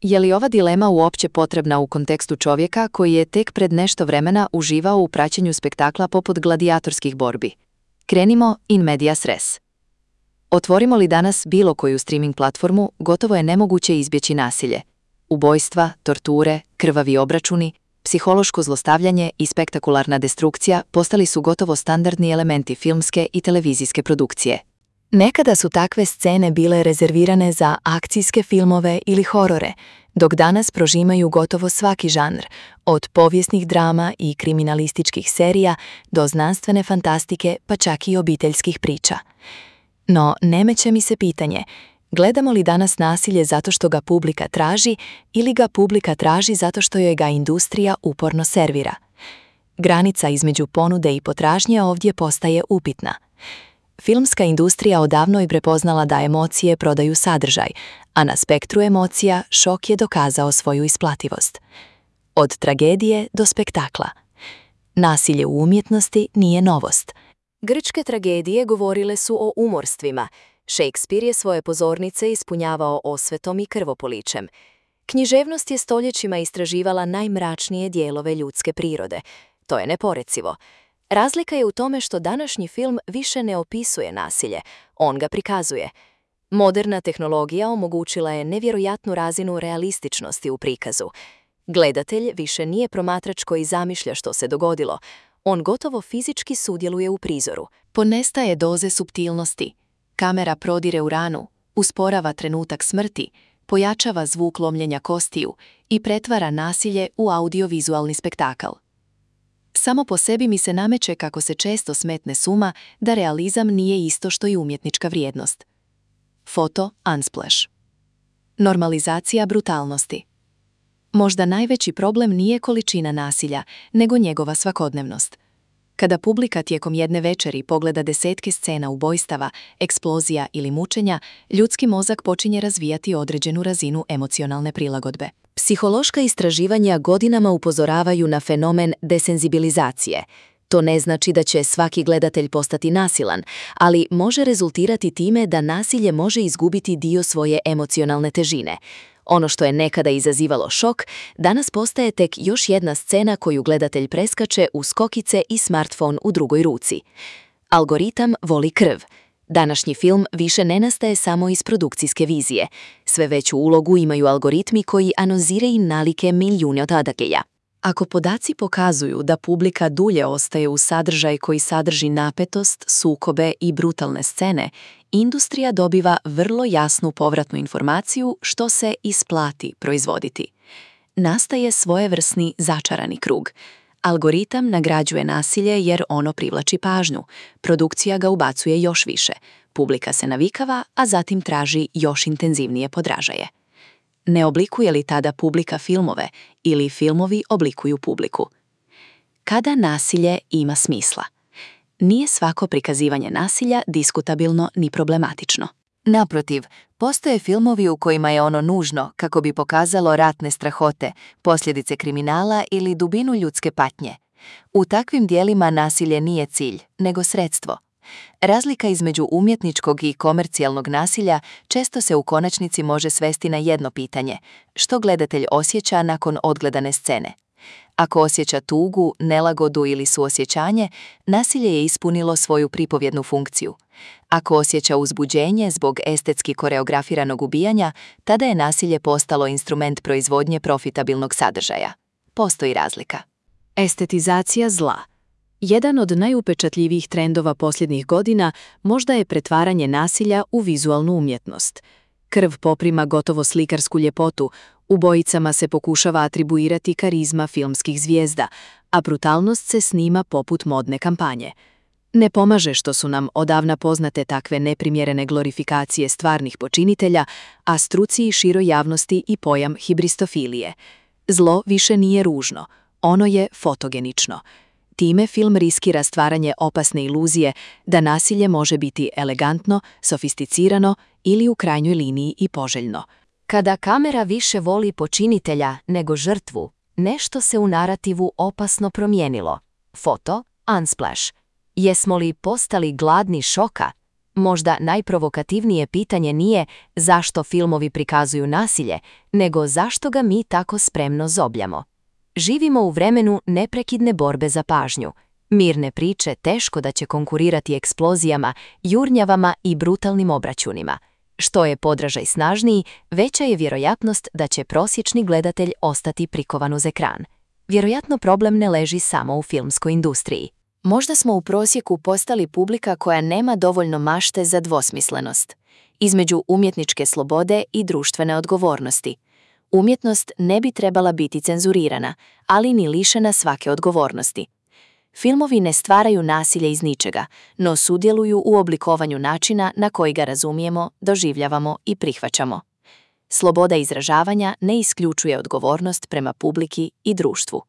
Je li ova dilema uopće potrebna u kontekstu čovjeka koji je tek pred nešto vremena uživao u praćenju spektakla poput gladijatorskih borbi? Krenimo in medias res. Otvorimo li danas bilo koju streaming platformu, gotovo je nemoguće izbjeći nasilje. Ubojstva, torture, krvavi obračuni, psihološko zlostavljanje i spektakularna destrukcija postali su gotovo standardni elementi filmske i televizijske produkcije. Nekada su takve scene bile rezervirane za akcijske filmove ili horore, dok danas prožimaju gotovo svaki žanr, od povijesnih drama i kriminalističkih serija do znanstvene fantastike pa čak i obiteljskih priča. No, nemeće mi se pitanje, gledamo li danas nasilje zato što ga publika traži ili ga publika traži zato što joj ga industrija uporno servira? Granica između ponude i potražnje ovdje postaje upitna. Filmska industrija odavno je prepoznala da emocije prodaju sadržaj, a na spektru emocija šok je dokazao svoju isplativost. Od tragedije do spektakla. Nasilje u umjetnosti nije novost. Grčke tragedije govorile su o umorstvima. Shakespeare je svoje pozornice ispunjavao osvetom i krvopoličem. Književnost je stoljećima istraživala najmračnije dijelove ljudske prirode. To je neporecivo. Razlika je u tome što današnji film više ne opisuje nasilje, on ga prikazuje. Moderna tehnologija omogućila je nevjerojatnu razinu realističnosti u prikazu. Gledatelj više nije promatrač koji zamišlja što se dogodilo, on gotovo fizički sudjeluje u prizoru. Ponestaje doze suptilnosti. Kamera prodire u ranu, usporava trenutak smrti, pojačava zvuk lomljenja kostiju i pretvara nasilje u audiovizualni spektakl. Samo po sebi mi se nameće kako se često smetne suma da realizam nije isto što i umjetnička vrijednost. Foto Unsplash. Normalizacija brutalnosti. Možda najveći problem nije količina nasilja, nego njegova svakodnevnost. Kada publika tijekom jedne večeri pogleda desetke scena ubojstava, eksplozija ili mučenja, ljudski mozak počinje razvijati određenu razinu emocionalne prilagodbe. Psihološka istraživanja godinama upozoravaju na fenomen desenzibilizacije. To ne znači da će svaki gledatelj postati nasilan, ali može rezultirati time da nasilje može izgubiti dio svoje emocionalne težine. Ono što je nekada izazivalo šok, danas postaje tek još jedna scena koju gledatelj preskače uz skokice i smartfon u drugoj ruci. Algoritam voli krv. Današnji film više ne nastaje samo iz produkcijske vizije. Sve veću ulogu imaju algoritmi koji analiziraju nalike milijuna događaja. Ako podaci pokazuju da publika dulje ostaje u sadržaj koji sadrži napetost, sukobe i brutalne scene, industrija dobiva vrlo jasnu povratnu informaciju što se isplati proizvoditi. Nastaje svojevrsni začarani krug. Algoritam nagrađuje nasilje jer ono privlači pažnju, produkcija ga ubacuje još više, publika se navikava, a zatim traži još intenzivnije podražaje. Ne oblikuje li tada publika filmove ili filmovi oblikuju publiku? Kada nasilje ima smisla? Nije svako prikazivanje nasilja diskutabilno ni problematično. Naprotiv, postoje filmovi u kojima je ono nužno kako bi pokazalo ratne strahote, posljedice kriminala ili dubinu ljudske patnje. U takvim dijelima nasilje nije cilj, nego sredstvo. Razlika između umjetničkog i komercijalnog nasilja često se u konačnici može svesti na jedno pitanje: što gledatelj osjeća nakon odgledane scene? Ako osjeća tugu, nelagodu ili suosjećanje, nasilje je ispunilo svoju pripovjednu funkciju. Ako osjeća uzbuđenje zbog estetski koreografiranog ubijanja, tada je nasilje postalo instrument proizvodnje profitabilnog sadržaja. Postoji razlika. Estetizacija zla. Jedan od najupečatljivijih trendova posljednjih godina možda je pretvaranje nasilja u vizualnu umjetnost. Krv poprima gotovo slikarsku ljepotu, ubojicama se pokušava atribuirati karizma filmskih zvijezda, a brutalnost se snima poput modne kampanje. Ne pomaže što su nam odavna poznate takve neprimjerene glorifikacije stvarnih počinitelja, a struci i široj javnosti i pojam hibristofilije. Zlo više nije ružno, ono je fotogenično. Time film riskira stvaranje opasne iluzije da nasilje može biti elegantno, sofisticirano ili u krajnjoj liniji i poželjno. Kada kamera više voli počinitelja nego žrtvu, nešto se u narativu opasno promijenilo. Foto Unsplash. Jesmo li postali gladni šoka? Možda najprovokativnije pitanje nije zašto filmovi prikazuju nasilje, nego zašto ga mi tako spremno zobljamo. Živimo u vremenu neprekidne borbe za pažnju. Mirne priče teško da će konkurirati eksplozijama, jurnjavama i brutalnim obračunima. Što je podražaj snažniji, veća je vjerojatnost da će prosječni gledatelj ostati prikovan uz ekran. Vjerojatno problem ne leži samo u filmskoj industriji. Možda smo u prosjeku postali publika koja nema dovoljno mašte za dvosmislenost. Između umjetničke slobode i društvene odgovornosti. Umjetnost ne bi trebala biti cenzurirana, ali ni lišena svake odgovornosti. Filmovi ne stvaraju nasilje iz ničega, no sudjeluju u oblikovanju načina na koji ga razumijemo, doživljavamo i prihvaćamo. Sloboda izražavanja ne isključuje odgovornost prema publiki i društvu.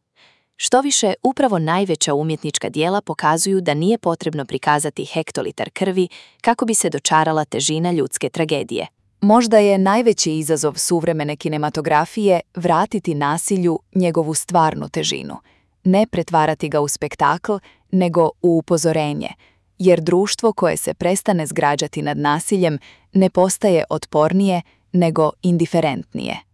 Štoviše, upravo najveća umjetnička djela pokazuju da nije potrebno prikazati hektolitar krvi kako bi se dočarala težina ljudske tragedije. Možda je najveći izazov suvremene kinematografije vratiti nasilju njegovu stvarnu težinu. Ne pretvarati ga u spektakl, nego u upozorenje, jer društvo koje se prestane zgražati nad nasiljem ne postaje otpornije, nego indiferentnije.